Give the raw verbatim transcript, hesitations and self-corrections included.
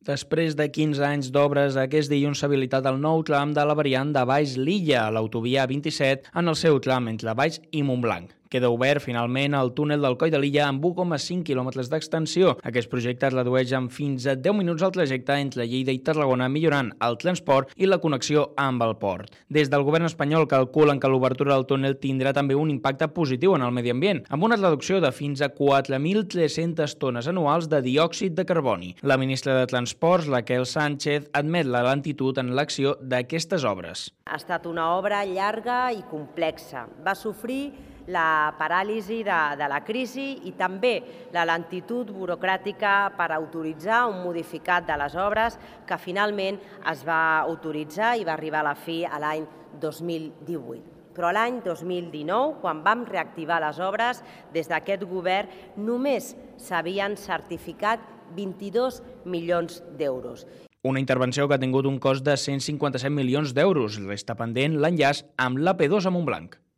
Després de quinze anys d'obres, aquest dilluns s'ha habilitat el nou tram de la variant de Baix Lilla, a l'autovia vint-i-set, en el seu tram entre Baix i Montblanc. Queda obert finalment el túnel del Coll de Lilla amb u coma cinc quilòmetres d'extensió. Aquest projecte redueix en fins a deu minuts el trajecte entre Lleida i Tarragona, millorant el transport i la connexió amb el port. Des del govern espanyol calculen que l'obertura del túnel tindrà també un impacte positiu en el medi ambient, amb una reducció de fins a quatre mil tres-centes tones anuals de diòxid de carboni. La ministra de Transports, Raquel Sánchez, admet la lentitud en l'acció d'aquestes obres. Ha estat una obra llarga i complexa. Va sofrir la paràlisi de, de la crisi i també la lentitud burocràtica per autoritzar un modificat de les obres que finalment es va autoritzar i va arribar a la fi a l'any dos mil divuit. Però l'any dos mil dinou, quan vam reactivar les obres, des d'aquest govern només s'havien certificat vint-i-dos milions d'euros. Una intervenció que ha tingut un cost de cent cinquanta-set milions d'euros. Resta pendent l'enllaç amb l'A P dos a Montblanc.